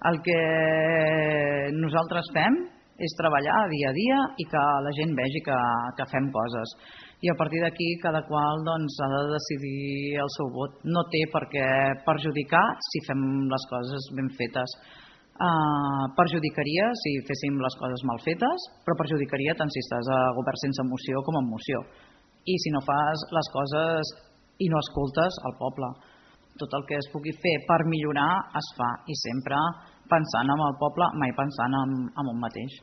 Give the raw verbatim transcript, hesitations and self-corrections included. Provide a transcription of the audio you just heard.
El que nosaltres fem és treballar dia a dia i que la gent vegi que, que fem coses. I a partir d'aquí cada qual doncs, ha de decidir el seu vot. No té per què perjudicar si fem les coses ben fetes. Uh, perjudicaria si féssim les coses mal fetes, però perjudicaria tant si estàs a govern sense moció com amb moció. I si no fas les coses i no escoltes el poble. Tot el que es pugui fer per millorar es fa i sempre pensant en el poble, mai pensant en, en un mateix.